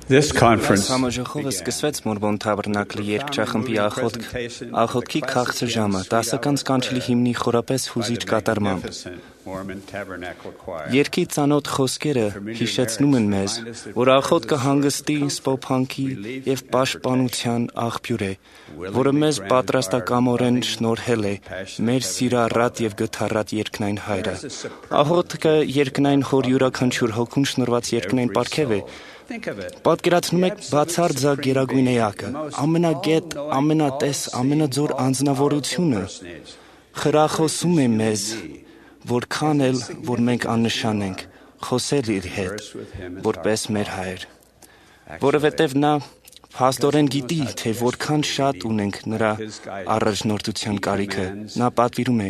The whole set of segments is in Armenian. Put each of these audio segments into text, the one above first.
This conference Համաժողովը սկսվեց Մորմոն Թաբերնակլի երկչախմբի աղոթքի քաղցր ժամը 10 կանչելի հիմնի խորապես հուզիչ կատարմամբ։ Երգի ծանոթ խոսքերը հիշեցնում են մեզ, որ աղոթքը հանգստի, սփոփանքի և պաշտպանության աղբյուր է, որը մեզ պատրաստակամորեն շնորհել է մեր սիրառատ և գթառատ երկնային Հայրը։ Աղոթքը երկնային Հոր յուրաքանչյուր հոգուն շնորհված երկնային պարգև է։ Պատկերացնում եք բացարձակ գերագույն էակը, ամենագետ, ամենատես, ամենաձոր անձնավորությունը խրախոսում է մեզ, որքան էլ, որ մենք աննշան ենք, խոսել իր հետ, որպես մեր Հայր, որովհետև նա փաստորեն գիտի, թե որքան շատ ունենք նրա առաջնորդության կարիքը։ Նա պատվիրում է.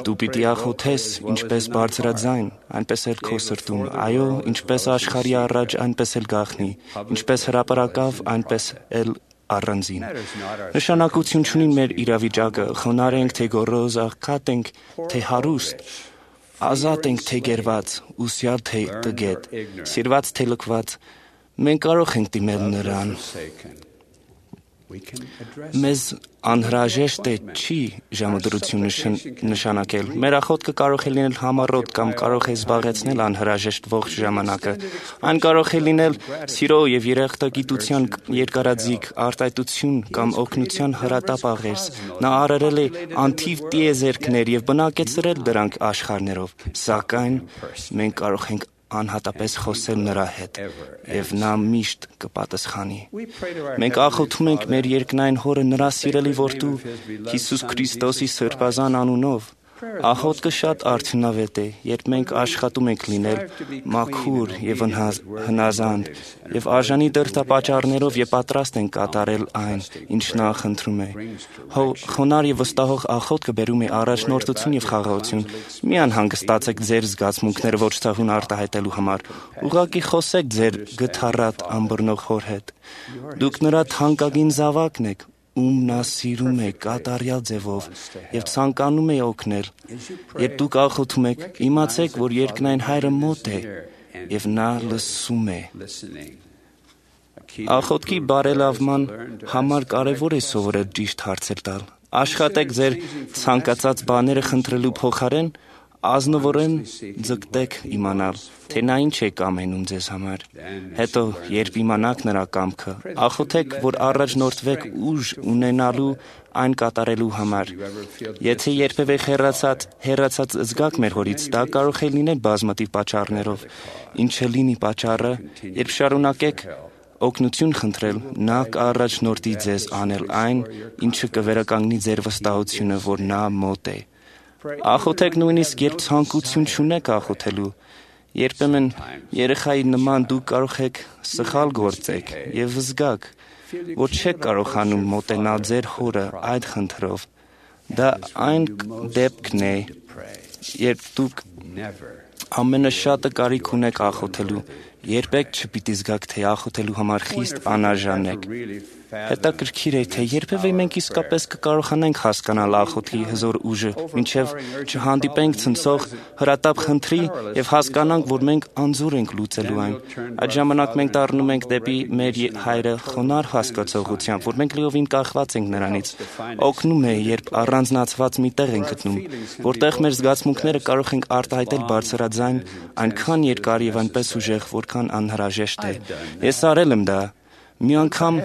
դու պիտի աղոթես ինչպես բարձրաձայն, այնպես էլ քո սրտում, այո, ինչպես աշխարհի առաջ, այնպես էլ գաղտնի, ինչպես հրապարակավ, այնպես էլ առանձին։ Նշանակություն չունի մեր իրավիճակը, խոնարհ ենք, թե գոռոզ, աղքատ ենք, թե հարուստ, ազատ ենք, թե գերված, ուսյալ, թե տգետ, սիրված, թե լքված, մենք կարող ենք դիմել նրան։ Մեզ անհրաժեշտ է չի ժամադրություն նշանակել։ Մեր աղոթքը կարող է լինել համառոտ կամ կարող է զբաղեցնել անհրաժեշտ ողջ ժամանակը։ Այն կարող է լինել սիրո և երախտագիտության երկարաձիգ արտահայտություն կամ օգնության հրատապ աղերս։ Նա արարել է անթիվ տիեզերքներ և բնակեցրել դրանք աշխարհներով, սակայն մենք կարող ենք անհատապես խոսել նրա հետ, և նա միշտ կպատասխանի։ Մենք աղոթում ենք մեր երկնային Հորը նրա սիրելի որդու Հիսուս Քրիստոսի սրբազան անունով։ Աղոթքը շատ արդյունավետ է, երբ մենք աշխատում ենք լինել մաքուր և հնազանդ և արժանի դրդապատճառներով և պատրաստ ենք կատարել այն, ինչ նա խնդրում է։ Խոնարհ և վստահող աղոթքը բերում է առաջնորդություն և խաղաղություն։ Մի անհանգստացեք ձեր զգացմունքները ոչ ցավուն արտահայտելու համար։ Ուղղակի խոսեք ձեր գթառատ ըմբռնող Հոր հետ։ Դուք նրա թանկագին զավակն եք, ում նա սիրում է կատարյալ ձևով և ցանկանում է օգնել։ Երբ դուք աղոթում եք, իմացեք, որ երկնային Հայրը մոտ է և նա լսում է։ Աղոթքի բարելավման համար կարևոր է սովորել ճիշտ հարցեր տալ։ Աշխատեք ձեր ցանկացած բաները խնդրելու փոխարեն ազնվորեն ձգտեք իմանալ, թե նա ինչ է կամենում ձեզ համար։ Հետո, երբ իմանաք նրա կամքը, աղոթեք, որ առաջնորդվեք ուժ ունենալու այն կատարելու համար։ Եթե երբևէ հեռացած զգաք մեր Հորից, դա կարող է լինել բազմաթիվ պատճառներով։ Ինչը լինի պատճառը, երբ շարունակեք օգնություն խնդրել, նա կառաջնորդի ձեզ անել այն, ինչը կվերականգնի ձեր վստահությունը, որ նա մոտ է։ Աղոթեք նույնիսկ, երբ ցանկություն չունեք աղոթելու։ Երբեմն երեխայի նման դուք կարող եք սխալ գործեք և զգաք, որ չեք կարողանում մոտենալ ձեր Հորը այդ խնդրով։ Դա այն դեպքն է, երբ դուք ամենաշատը կարիք ունեք աղոթելու։ Երբեք չպիտի զգաք, թե աղոթելու համար խիստ անարժան եք։ Հետաքրքիր է, թե երբևէ մենք իսկապես կկարողանանք հասկանալ աղոթքի հզոր ուժը, մինչև չհանդիպենք ցնցող հրատապ խնդրի և հասկանանք, որ մենք անզոր ենք լուծելու այն։ Այդ ժամանակ մենք դառնում ենք դեպի մեր Հայրը խոնարհ հասկացողությամբ, որ մենք լիովին կախված ենք նրանից։ Օգնում է, երբ առանձնացված մի տեղ ենք գտնում, որտեղ մեր զգացմունքները կարող ենք արտահայտել բարձրաձայն, այնքան երկար և այնպես ուժեղ, որքան անհրաժեշտ է։ Ես արել եմ դա։ Մի անգամ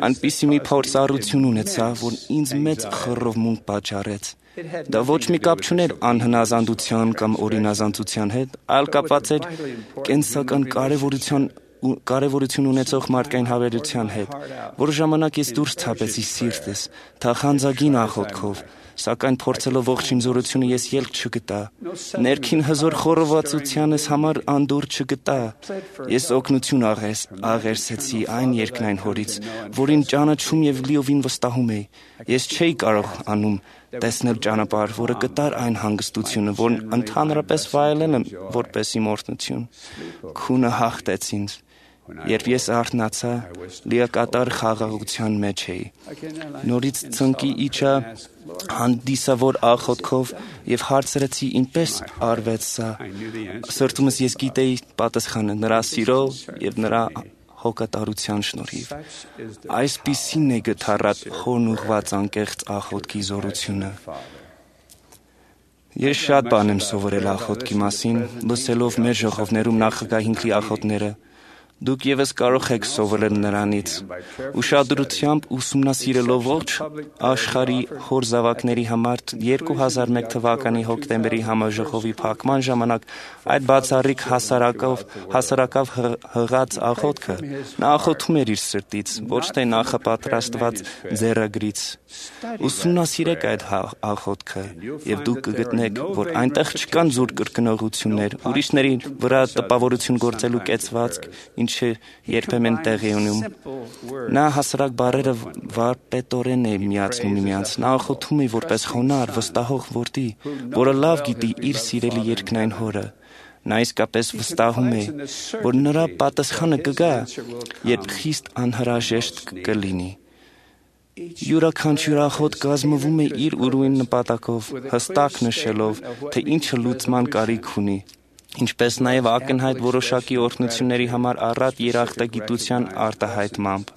այնպիսի մի փորձառություն ունեցա, որ ինձ մեծ խռովմունք պատճառեց։ Դա ոչ մի կապ չուներ անհնազանդության կամ օրինազանցության հետ, այլ կապված էր կենսական կարևորություն ունեցող մարդկային հավերժության հետ։ Որոշ ժամանակ ես դուրս ցապեցի սիրտս, թախանձագին աղոթքով, սակայն փորձելով ողջ իմ զորությունը ես ելք չգտա։ Ներքին հզոր խորովածությանս համար անդորր չգտա։ Ես օգնություն աղերսեցի այն երկնային Հորից, որին ճանաչում և լիովին վստահում էի։ Ես չէի կարող անում տեսնել ճանապարհ, որը կտար այն հանգստությունը, որն ընդհանրապես վայելել եմ որպես իմ օրհնություն։ Քունը հաղթեց ինձ։ Երբ ես արթնացա, լիակատար խաղաղության մեջ էի։ Նորից ծնկի իջա հանդիսավոր աղոթքով և հարցրեցի ինչպես արվեց սա։ Սրտումս ես գիտեի պատասխանը նրա սիրո և նրա հոգատարության շնորհիվ։ Այսպիսին է գթառատ խորն ուղված անկեղծ աղոթքի զորությունը։ Ես շատ բան եմ սովորել աղոթքի մասին, լսելով մեր ժողովներում նախագահ Հինքլի աղոթները։ Դուք ևս կարող եք սովորել նրանից։ Ուշադրությամբ ուսումնասիրելով ողջ աշխարհի հոր զավակների համար 2001 թվականի հոկտեմբերի համաժողովի փակման ժամանակ այդ բացառիկ հասարակավ հղած աղոթքը, նա աղոթում էր իր սրտից, ոչ թե նախապատրաստված ձեռագրից։ Ուսումնասիրեք այդ աղոթքը, եւ դուք կգտնեք, որ այնտեղ չկան զուր կրկնողություններ, ուրիշների վրա տպավորություն գործելու կեցվածք, ինչը երբեմն տեղի ունում։ Նա հասարակ բառերը վարպետորեն է միացնում միմյանց։ Նա աղոթում է որպես խոնարհ, վստահող որդի, որը լավ գիտի իր սիրելի երկնային հորը։ Նա իսկապես վստահում է, որ նրա պատասխանը կգա, երբ խիստ անհրաժեշտ կլինի։ Յուրաքանչյուր աղոթք կազմվում է իր ուրույն նպատակով, հստակ նշելով, թե ինչը լուծման կարիք ունի, ինչպես նաև ակնհայտ որոշակի օրհնությունների համար առատ երախտագիտության արտահայտմամբ։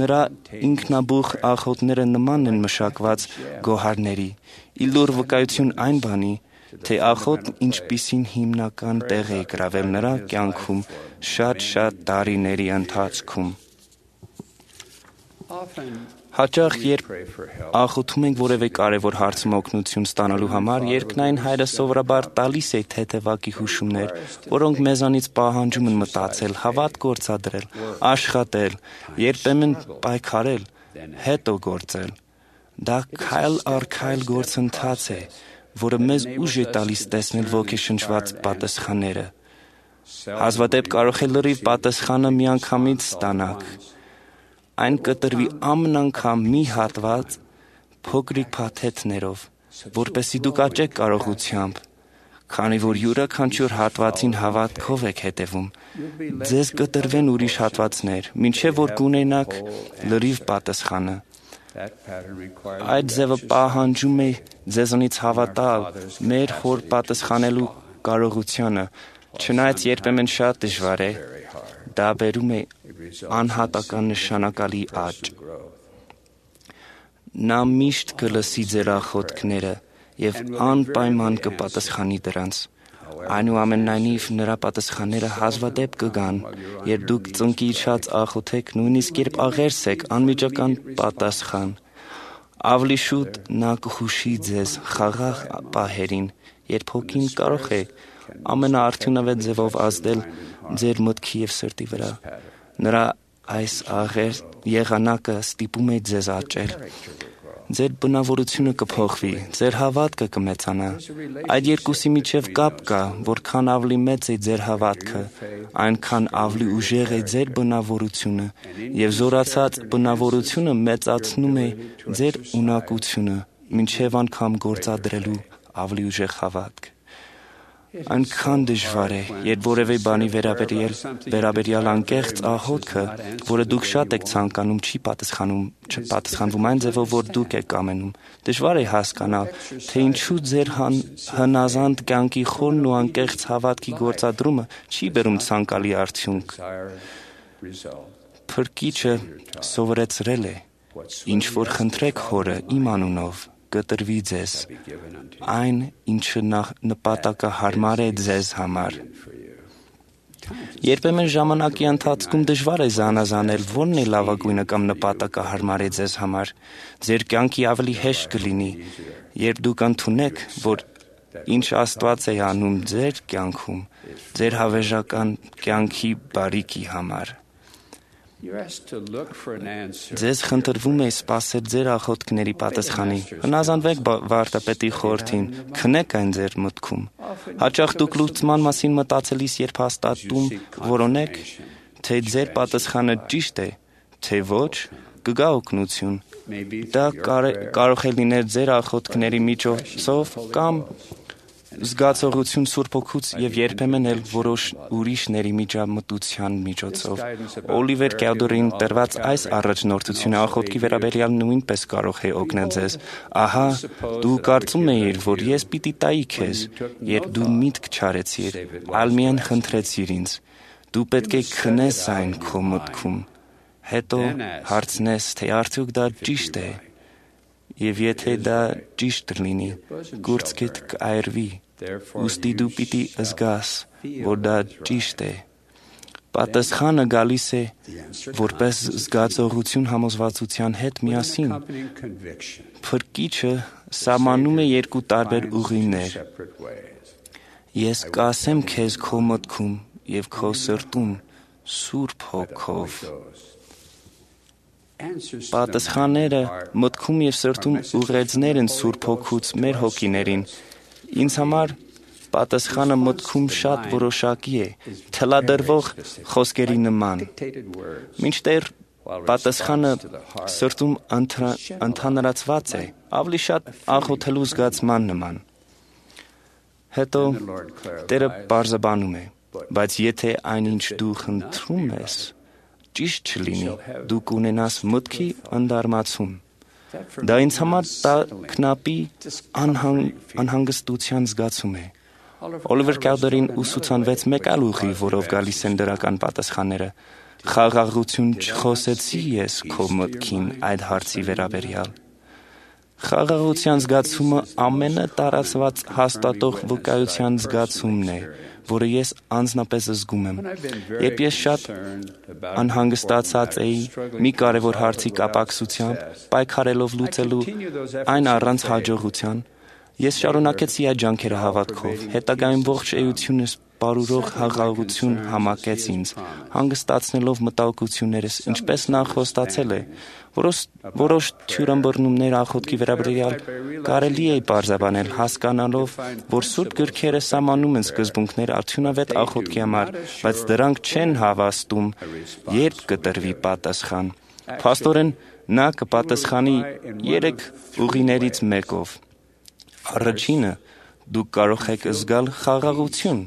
Նրա ինքնաբուխ աղոթները նման են մշակված գոհարների, իլուր վկայություն այն բանի, թե աղոթն ինչպիսին հիմնական տեղ է գրավել նրա կյանքում շատ տարիների ընթացքում։ Հաճախ երբ աղոթում ենք որևէ կարևոր հարցում օգնություն ստանալու համար, երկնային Հայրը սովորաբար տալիս է թեթևակի հուշումներ, որոնք մեզանից պահանջում են մտածել, հավատ գործադրել, աշխատել, երբեմն պայքարել, հետո գործել։ Դա քայլ առ քայլ գործընթաց է, որը մեզ ուժ է տալիս տեսնել ոգեշնչված պատասխանները։ Հազվադեպ կարող է լրիվ պատասխանը միանգամից ստանաք։ Այն կտրվի ամեն անգամ մի հատված փոքրիկ փաթեթներով, որպեսզի դուք աճեք կարողությամբ, քանի որ յուրաքանչյուր հատվածին հավատքով եք հետևում, ձեզ կտրվեն ուրիշ հատվածներ, մինչև որ կունենաք լրիվ պատասխանը։ Այդ ձևը պահանջում է ձեզանից հավատալ մեր խոր պատասխանելու կարողությանը, չնայած երբեմն շատ դժվար է, դա բերում է անհատական նշանակալի աճ։ Նա միշտ կլսի ձեր աղոթքները եւ անպայման կպատասխանի դրանց։ Այնուամենայնիվ նրա պատասխանները հազվադեպ կգան, երբ դուք ծնկի իջած աղոթեք, նույնիսկ երբ աղերսեք անմիջական պատասխան։ Ավելի շուտ նա կհուշի ձեզ խաղաղ պահերին, երբ հոգին կարող է ամենաարդյունավետ ձևով ազդել ձեր մտքի եւ սրտի վրա։ Նրա այս եղանակը ստիպում է ձեզ աճել։ Ձեր բնավորությունը կփոխվի, ձեր հավատքը կմեծանա։ Այդ երկուսի միջև կապ կա, որքան ավելի մեծ է ձեր հավատքը, այնքան ավելի ուժեղ է ձեր բնավորությունը, եւ զորացած բնավորությունը մեծացնում է ձեր ունակությունը, մինչև անգամ գործադրելու ավելի ուժեղ հավատք։ Այնքան դժվար է, երբ որևէ բանի վերաբերյալ անկեղծ աղոթքը, որը դուք շատ եք ցանկանում, չի պատասխանվում այն ձևով, որ դուք եք ամենում։ Դժվար է հասկանալ, թե ինչու ձեր հնազանդ կյանքի խորն ու անկեղծ հավատքի գործադրումը չի բերում ցանկալի արդյունք։ Փրկիչը սովորեցրել է. ինչ որ խնդրեք Հորը իմ անունով, կտրվի ձեզ, այն, ինչը նպատակահարմար է ձեզ համար։ Երբեմն ժամանակի ընթացքում դժվար է զանազանել որն է լավագույնը կամ նպատակահարմար է ձեզ համար։ Ձեր կյանքի ավելի հեշտ կլինի, երբ դուք ընդունեք, որ ինչ Աստված է անում ձեր կյանքում, ձեր հավերժական կյանքի բարիքի համար։ Ձեզ խնդրվում է սպասել ձեր աղոթքների պատասխանի։ Հնազանդվեք վարդապետի խորհրդին, քնեք այն ձեր մտքում։ Հաճախ դուք լուծման մասին մտածելիս երբ հաստատում որոնեք, թե ձեր պատասխանը ճիշտ է, թե ոչ, կգա օգնություն։ Դա կարող է լինել ձեր աղոթքների միջոցով կամ զգացողություն Սուրբ Հոգուց եւ երբեմն էլ որոշ ուրիշների միջամտության միջոցով։ Օլիվեր Կյալդորին տրված այս առաջնորդությունը աղոթքի վերաբերյալ նույնպես կարող է օգնել ձեզ։ Ահա, դու կարծում էիր, որ ես պիտի տայի քեզ, երբ դու միտք չարեցիր, այլ միայն խնդրեցիր ինձ։ Դու պետք է քնես այն քո մտքում, հետո հարցնես, թե արդյոք դա ճիշտ է, եւ եթե դա ճիշտ լինի, գործքիդ կայրվի, ուստի դու պիտի զգաս, որ դա ճիշտ է։ Պատասխանը գալիս է որպես զգացողություն համոզվածության հետ միասին։ Փրկիչը սահմանում է երկու տարբեր ուղիներ։ Ես կասեմ քեզ քո մտքում եւ քո սրտում Սուրբ Հոգով։ Պատասխանները մտքում եւ սրտում ուղերձներ են Սուրբ Հոգուց մեր հոգիներին։ Ինձ համար պատասխանը մտքում շատ որոշակի է, թելադրվող խոսքերի նման։ Մինչդեռ պատասխանը սրտում ընդհանրացված է, ավելի շատ աղոթելու զգացման նման։ Հետո Տերը պարզաբանում է, բայց եթե այնինչ դու խնդրում ես, ճիշտ չլինի, դու կունենաս մտքի ընդարմացում։ Դա ինձ համար տագնապի անհանգստության զգացում է։ Օլիվեր Քաուդերին ուսուցանվեց մեկ այլ ուղի, որով գալիս են դրական պատասխանները։ Խաղաղություն չխոսեցի ես քո մտքին այդ հարցի վերաբերյալ։ Խաղաղության զգացումը ամենատարածված հաստատող վկայության զգացումն է, որը ես անձնապես զգում եմ։ Երբ ես շատ անհանգստացած էի մի կարևոր հարցի կապակցությամբ, պայքարելով լուծելու այն առանց հաջողության, ես շարունակեցի այդ ջանքերը հավատքով, հետագայում ողջ էությունս պարուրող խաղաղություն համակեց ինձ, հանգստացնելով մտահոգություններս, ինչպես նա խոստացել է, որոշ թյուրըմբռնումներ աղոթքի վերաբերյալ կարելի է պարզաբանել, հասկանալով, որ Սուրբ գրքերը սահմանում են սկզբունքներ արդյունավետ աղոթքի համար, բայց դրանք չեն հավաստում, երբ կտրվի պատասխան։ Փաստորեն նա կպատասխանի 3 ուղիներից մեկով։ Առաջինը դուք կարող եք զգալ խաղաղություն,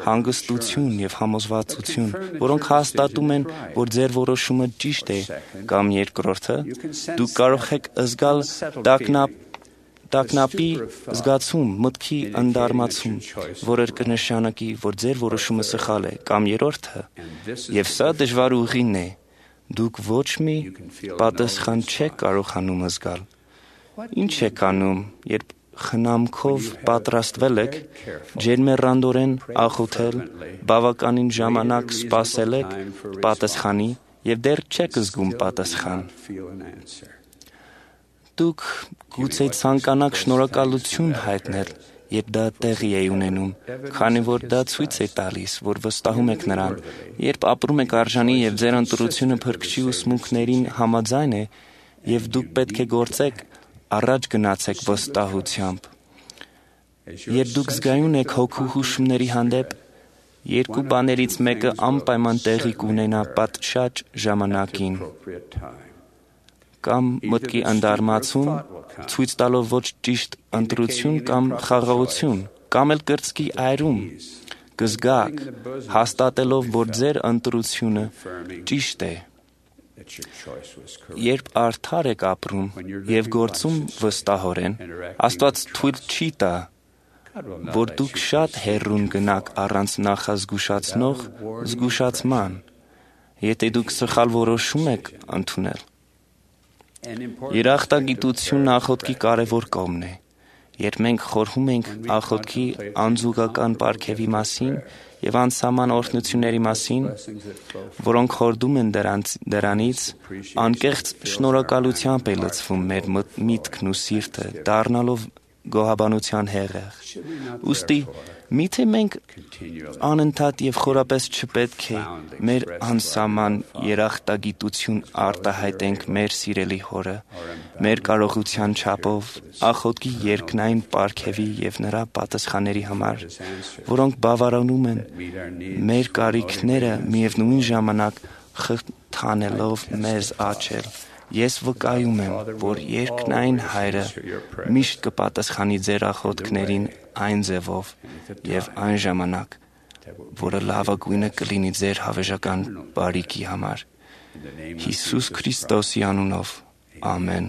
հանգստություն եւ համոզվածություն, որոնք հաստատում են, որ ձեր որոշումը ճիշտ է, կամ երկրորդը դուք կարող եք զգալ տագնապի զգացում, մտքի ընդարմացում, որը կնշանակի, որ ձեր որոշումը սխալ է, կամ երրորդը, եւ սա դժվար ուղին է, դուք ոչ մի պատասխան չեք կարողանում զգալ։ Ինչ եք անում, երբ խնամքով պատրաստվել եք, ջերմեռանդորեն աղոթել, բավականին ժամանակ սպասել եք պատասխանի եւ դեռ չեք զգում պատասխան։ Դուք գուցե ցանկանաք շնորհակալություն հայտնել, երբ դա տեղի է ունենում, քանի որ դա ցույց է տալիս, որ վստահում եք նրան, երբ ապրում եք արժանի եւ ձեր ընտրությունը Փրկչի ուսմունքներին համաձայն է, եւ դուք պետք է գործեք, առաջ գնացեք վստահությամբ։ Երբ դուք զգայուն եք հոգու հուշումների հանդեպ, երկու բաներից մեկը անպայման տեղի կունենա պատշաճ ժամանակին։ Կամ մտքի ընդարմացում, ցույց տալով ոչ ճիշտ ընտրություն կամ խաղաղություն, կամ էլ կրծքի այրում, կզգաք, հաստատելով, որ ձեր ընտրությունը ճիշտ է։ Երբ արդար եք ապրում եւ գործում վստահորեն, Աստված թույլ չի տա, որ դուք շատ հեռուն գնաք առանց նախազգուշացնող զգուշացման, եթե դուք սխալ որոշում եք ընդունել։ Երախտագիտությունն աղոթքի կարևոր կողմն է։ Երբ մենք խորհում ենք աղոթքի անզուգական պարգևի մասին եւ անսահման օրհնությունների մասին, որոնք հորդում են դրանից, անկեղծ շնորհակալությամբ է լցվում մեր միտքն ու սիրտը, դառնալով գոհաբանության հեղեղ։ Ոստի միթե մենք անընդհատ եւ խորապես չպետք է մեր անսահման երախտագիտություն արտահայտենք մեր սիրելի Հորը, մեր կարողության չափով, աղոթքի երկնային պարգևի եւ նրա պատասխանների համար, որոնք բավարարում են մեր կարիքները միևնույն ժամանակ խթանելով մեզ աճել։ Ես վկայում եմ, որ երկնային Հայրը միշտ կպատասխանի ձեր աղոթքներին այն ձևով եւ այն ժամանակ, որը լավագույնը կլինի ձեր հավերժական բարիքի համար։ Հիսուս Քրիստոսի անունով, ամեն։